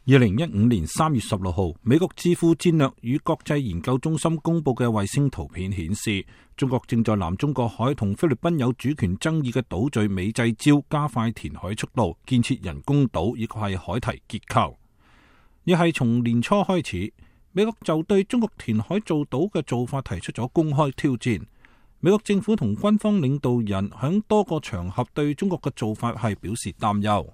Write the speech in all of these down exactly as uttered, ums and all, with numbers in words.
二零一五年三月十六號，美國智庫戰略與國際研究中心公布嘅衛星圖片顯示，中國正在南中國海同菲律賓有主權爭議嘅島嶼美濟礁加快填海速度，建設人工島以及係海堤結構。亦係從年初開始，美國就對中國填海造島嘅做法提出咗公開挑戰。美國政府同軍方領導人響多個場合對中國嘅做法係表示擔憂。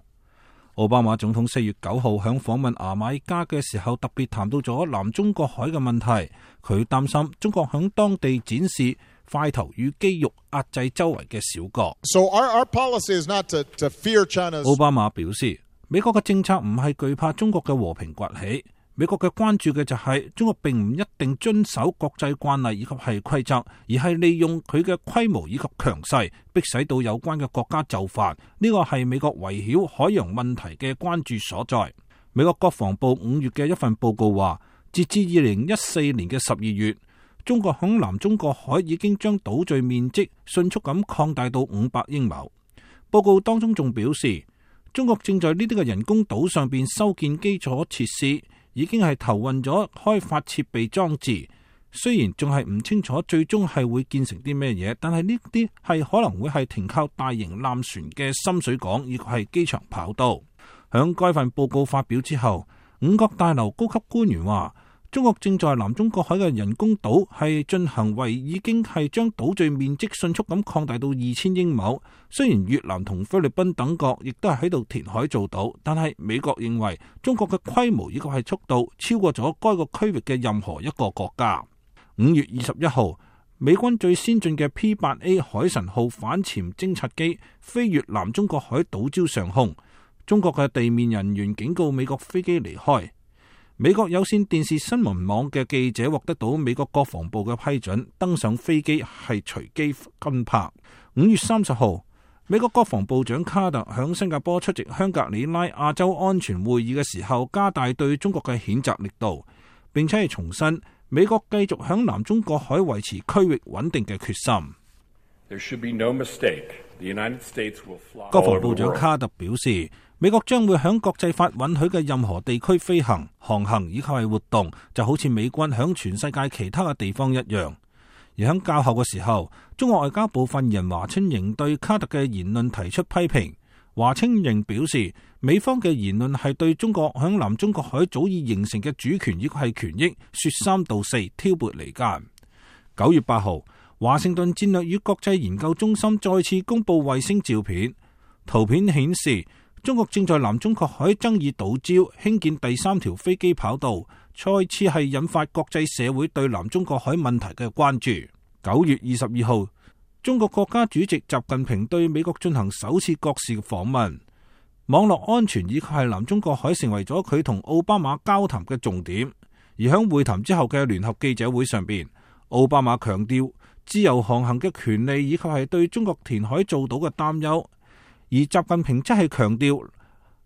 奧巴馬總統四月九號響訪問牙買加嘅時候，特別談到咗南中國海嘅問題。佢擔心中國響當地展示塊頭與肌肉壓制周圍嘅小國。So our, our policy is not to, to fear China's... 奧巴馬表示，美國嘅政策唔係懼怕中國嘅和平崛起，美國嘅關注嘅就係中國並唔一定遵守國際慣例以及係規則，而係利用佢嘅規模以及強勢，迫使到有關嘅國家就範。呢個係美國圍繞海洋問題嘅關注所在。美國國防部五月嘅一份報告話，截至二零一四年嘅十二月，中國響南中國海已經將島嶼面積迅速咁擴大到五百英畝。報告當中仲表示，中國正在呢啲嘅人工島上邊修建基礎設施，已經係投運咗開發設備裝置。雖然仲係唔清楚最終係會建成啲咩嘢，但係呢啲係可能會係停靠大型艦船嘅深水港，以及係機場跑道。響該份報告發表之後，五角大樓高級官員話，中國正在南中國海嘅人工島係進行為已經係將島嶼面積迅速咁擴大到二千英畝。雖然越南同菲律賓等國亦都係喺度填海造島，但係美國認為中國嘅規模以及係速度超過咗該個區域嘅任何一個國家。五月二十一號，美軍最先進嘅 P 八 A 海神號反潛偵察機飛越南中國海島礁上空，中國嘅地面人員警告美國飛機離開。美國有線電視新聞網嘅記者獲得到美國國防部嘅批准，登上飛機係隨機跟拍。五月三十號，美國國防部長卡特響新加坡出席香格里拉亞洲安全會議嘅時候，加大對中國嘅譴責力度，並且係重申美國繼續響南中國海維持區域穩定嘅決心。There should be no mistake. The United States will fly. 國防部長卡特表示，美國將會響國際法允許嘅任何地區飛行、航行以及係活動，就好似美軍響全世界其他嘅地方一樣。而響較後嘅時候，中國外交部發言人華春瑩對卡特嘅言論提出批評。華春瑩表示，美方嘅言論係對中國響南中國海早已形成嘅主權以及係權益說三道四、挑撥離間。九月八號，華盛頓戰略與國際研究中心再次公布衛星照片，圖片顯示中國正在南中國海爭議島礁興建第三條飛機跑道，再次係引發國際社會對南中國海問題嘅關注。九月二十二號，中國國家主席習近平對美國進行首次國事訪問，網絡安全以及係南中國海成為咗佢同奧巴馬交談嘅重點。而喺會談之後嘅聯合記者會上邊，奧巴馬強調自由航行嘅權利以及係對中國填海造島嘅擔憂，而習近平則係強調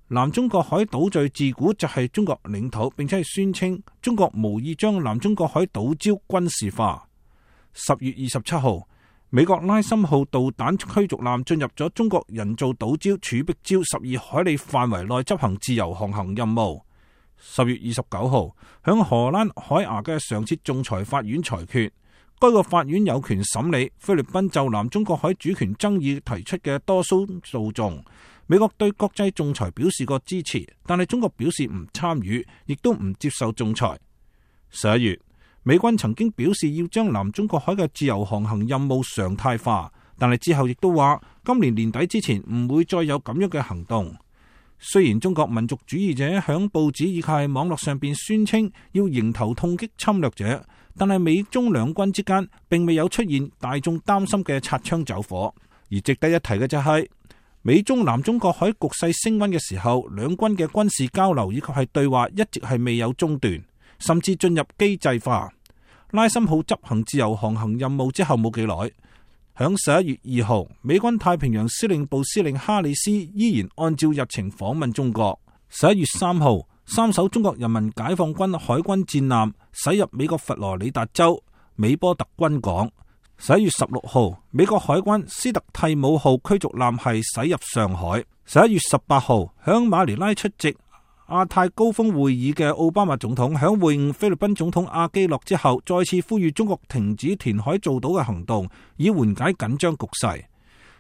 南中國海島嶼自古就係中國領土，並且係宣稱中國無意將南中國海島礁軍事化。十月二十七號，美國拉森號導彈驅逐艦進入咗中國人造島礁儲碧礁十二海里範圍內執行自由航行任務。十月二十九號，響荷蘭海牙嘅常設仲裁法院裁決，該個法院有權審理菲律賓就南中國海主權爭議提出嘅多宗訴訟。美國對國際仲裁表示過支持，但係中國表示唔參與，亦都唔接受仲裁。十一月，美軍曾經表示要將南中國海嘅自由航行任務常態化，但係之後亦都話今年年底之前唔會再有咁樣嘅行動。雖然中國民族主義者響報紙以及係網絡上邊宣稱要迎頭痛擊侵略者，但係美中兩軍之間並未有出現大眾擔心嘅擦槍走火。而值得一提嘅就係、是、美中南中國海局勢升溫嘅時候，兩軍嘅軍事交流以及係對話一直係未有中斷，甚至進入機制化。拉森號執行自由航行任務之後冇幾耐，響十一月二號，美軍太平洋司令部司令哈里斯依然按照日程訪問中國。十一月三號，三艘中國人民解放軍海軍戰艦駛入美國佛羅里達州美波特軍港。十一月十六號，美國海軍斯特蒂姆號驅逐艦係駛入上海。十一月十八號，響馬尼拉出席亞太高峰會議嘅奧巴馬總統響會晤菲律賓總統阿基諾之後，再次呼籲中國停止填海造島嘅行動，以緩解緊張局勢。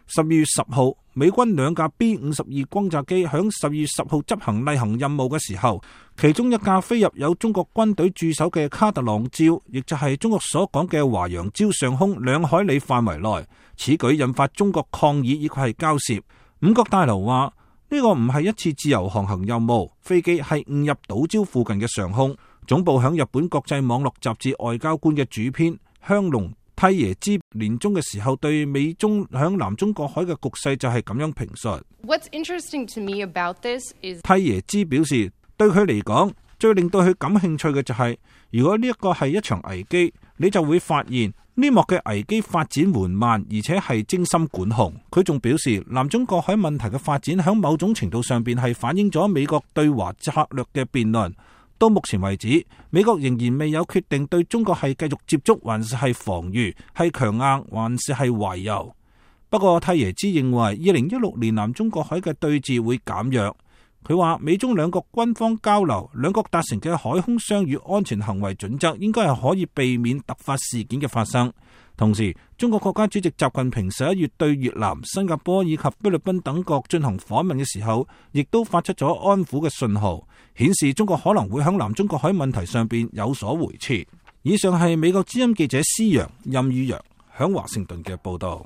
十二月十號，美軍兩架 B 五十二轟炸機響十二月十號執行例行任務嘅時候，其中一架飛入有中國軍隊駐守嘅卡特朗礁，亦就係中國所講嘅華陽礁上空兩海里範圍內。此舉引發中國抗議以及係交涉。五角大樓話呢個唔係一次自由航行任務，飛機係誤入島礁附近嘅上空。總部響日本國際網絡雜誌外交官嘅主編香龍梯耶之年中嘅時候，對美中響南中國海嘅局勢就係咁樣評述。What's interesting to me about this is 梯耶之表示，對佢嚟講，最令到佢感興趣嘅就係、是，如果呢一個係一場危機，你就會發現呢幕嘅危機發展緩慢，而且係精心管控。佢仲表示，南中國海問題嘅發展喺某種程度上邊係反映咗美國對華策略嘅辯論。到目前為止，美國仍然未有決定對中國係繼續接觸，還是係防禦，係強硬，還是係懷柔。不過，蒂耶茲認為，二零一六年南中國海嘅對峙會減弱。佢話，美中兩國軍方交流，兩國達成嘅海空相與安全行為準則，應該係可以避免突發事件嘅發生。同時，中國國家主席習近平十一月對越南、新加坡以及菲律賓等國進行訪問嘅時候，亦都發出咗安撫嘅信號，顯示中國可能會喺南中國海問題上邊有所回撤。以上係美國之音記者施陽、任宇陽響華盛頓嘅報道。